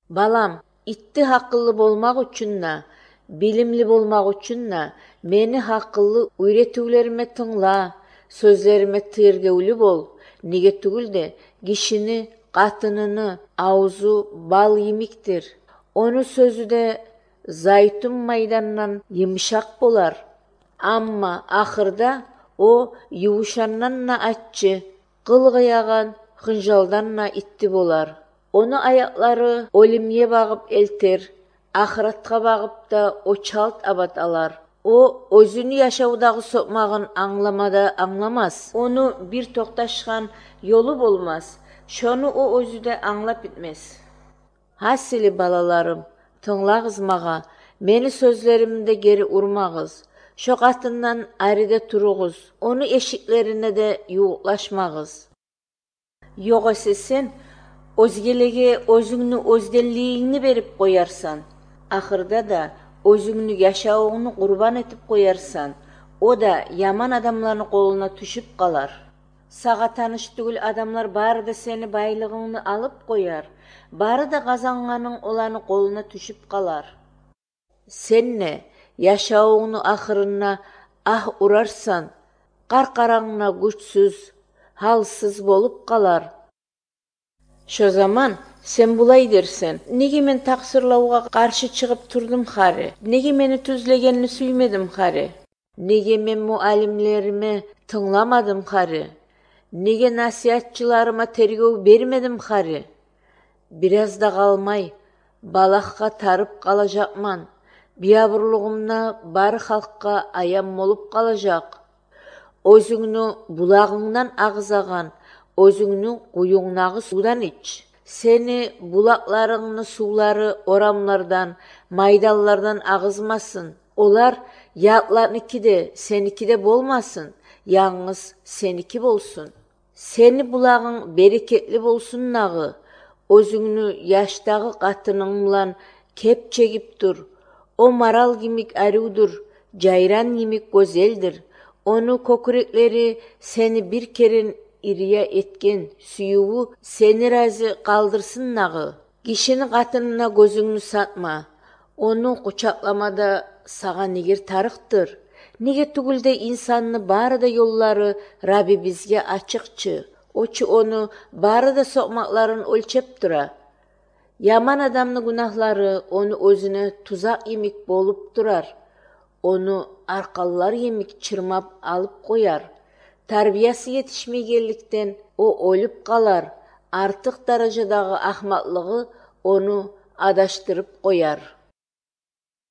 Балам, итти акыллы болмак үчүнна, билимли болмак үчүнна мени акыллы үйрөтүүлөрүмө тыңла, сөздөрүмө тергеулүү бол. Неге түгүлде кишини катыныны аузу бал емиктир. Onu сөзү да зайтун майданынан йымшак болар. Амма ахырда о юушаннанна аччы, кылгыяган кынжалданна итти болар. Onu аяклары олимге багып элтер, ахыратка багып да очалт абат алар. О өзүнү жашоодагы сокмагын аңламада аңламас. Onu бир токташкан жолу болмас. Шону о өзү да аңлап bitmez. Асили балаларым, тыңлагыз мага, мени сөзлөрүмдө кери урмагыз. Шо катындан ариде туругуз, onu эшиклерине де юуклашмагыз. Жок эсе сен өзгелеге өзүңнү өзденлигиңни берип коярсан. Ахырда да өзүңнү жашооңну курбан этип коярсан. О да яман адамдардын колуна түшүп калар. Сага тааныш түгүл адамдар баары да сени байлыгыңны алып кояр. Баары да казанганың оланы колуна түшүп калар. Сенне жашооңну ахырына урарсан, каркараңна күчсүз, халсыз болуп калар. Шо заман сен булай дерсен: неге мен таксырлоого каршы чыгып турдум хари? Неге мени түзлөгенни сүймедим хари? Неге мен муалимлериме тыңламадым хари? Неге насыятчыларыма тергөө бермедим хари? Бир аз да калмай балакка тарып калажакман. Биябырлыгымна баары халкка аян болуп калажак. Өзүңнү булагыңдан агызаган, өзүңнү куюңнагы суудан ич. Сени булакларыңны суулары орамлардан, майдаллардан агызмасын. Олар ятларники де, сеники де болмасын, яңыз сеники болсун. Сени булагың берекетли болсун нагы. Өзүңнү жаштагы катының менен кеп чегип тур. О марал кимик аруудур, жайран кимик көзелдир. Onu көкүрөклери сени бир керин ирия эткен сүйүүгү сени разы калдырсын нагы. Кишини катынына көзүңнү сатма. Onu кучакламада сага нигер тарыктыр. Неге түгүлде инсанны баары да жоллары Раби бизге ачыкчы. Очу onu баары да сокмакларын өлчөп тура. Яман адамдын гунахлары onu өзүнө тузак емик болуп турар. Onu аркалылар емик чырмап алып кояр. Тарбиясы жетишмегенликтен о өлүп калар. Артык даражадагы акмаклыгы onu адаштырып кояр.